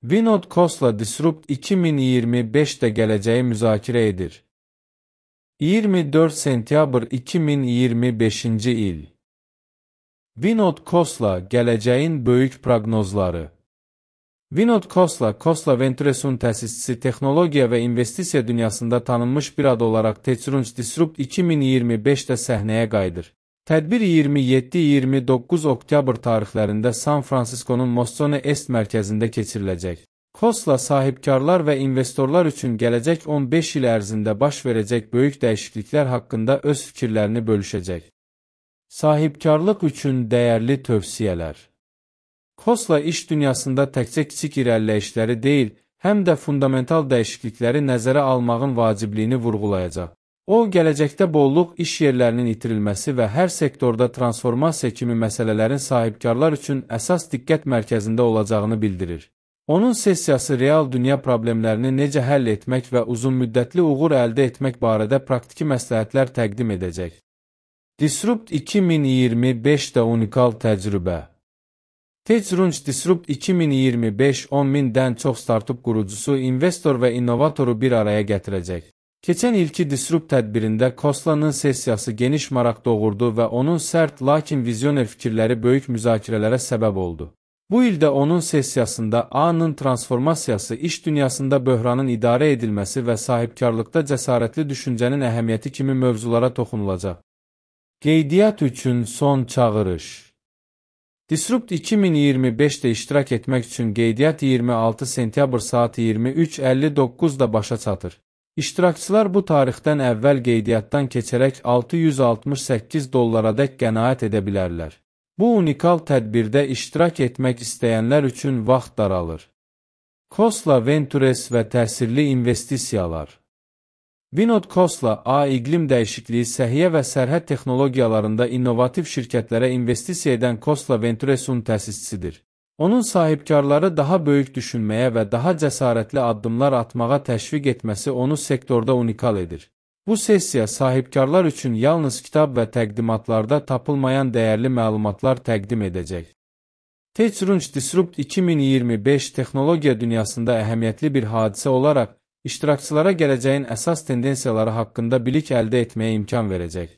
Vinod Khosla Disrupt 2025'də gələcəyi müzakirə edir. 24 sentyabr 2025-ci il. Vinod Khosla gələcəyin böyük proqnozları. Vinod Khosla, Khosla Ventures'un təsisçisi, texnologiya və investisiya dünyasında tanınmış bir ad olaraq TechCrunch Disrupt 2025-də səhnəyə qayıdır. Tədbir 27-29 oktyabr tarixlərində San Francisco'nun Moscone Est mərkəzində keçiriləcək. Khosla sahibkarlar və investorlar üçün gələcək 15 il ərzində baş verəcək böyük dəyişikliklər haqqında öz fikirlərini bölüşəcək. Sahibkarlıq üçün dəyərli tövsiyələr. Khosla iş dünyasında təkcə kiçik irəliləyişləri deyil, həm də fundamental dəyişiklikləri nəzərə almağın vacibliyini vurğulayacaq. O, gələcəkdə bolluq, iş yerlərinin itirilməsi və hər sektorda transformasiya kimi məsələlərin sahibkarlar üçün əsas diqqət mərkəzində olacağını bildirir. Onun sessiyası real dünya problemlərini necə həll etmək və uzunmüddətli uğur əldə etmək barədə praktiki məsləhətlər təqdim edəcək. Disrupt 2025-də unikal təcrübə. TechCrunch Disrupt 2025 10.000-dən çox startup qurucusu, investor və innovatoru bir araya gətirəcək. Keçən ilki Disrupt tədbirində Khosla'nın sessiyası geniş maraq doğurdu və onun sərt, lakin vizyoner fikirləri böyük müzakirələrə səbəb oldu. Bu ildə onun sessiyasında A-nın transformasiyası, iş dünyasında böhranın idarə edilməsi və sahibkarlıqda cəsarətli düşüncənin əhəmiyyəti kimi mövzulara toxunulacaq. Qeydiyyat üçün son çağırış. Disrupt 2025-də iştirak etmək üçün qeydiyyat 26 sentyabr saat 23:59-da başa çatır. İştirakçılar bu tarixdən əvvəl qeydiyyatdan keçərək $668-dək qənaət edə bilərlər. Bu unikal tədbirdə iştirak etmək istəyənlər üçün vaxt daralır. Khosla Ventures və təsirli investisiyalar. Vinod Khosla, iqlim dəyişikliyi, səhiyyə və sərhəd texnologiyalarında innovativ şirkətlərə investisiya edən Khosla Ventures'un təsisçisidir. Onun sahibkarları daha böyük düşünməyə və daha cəsarətli addımlar atmağa təşviq etməsi onu sektorda unikal edir. Bu sessiya sahibkarlar üçün yalnız kitab və təqdimatlarda tapılmayan dəyərli məlumatlar təqdim edəcək. TechCrunch Disrupt 2025 texnologiya dünyasında əhəmiyyətli bir hadisə olaraq iştirakçılara gələcəyin əsas tendensiyaları haqqında bilik əldə etməyə imkan verəcək.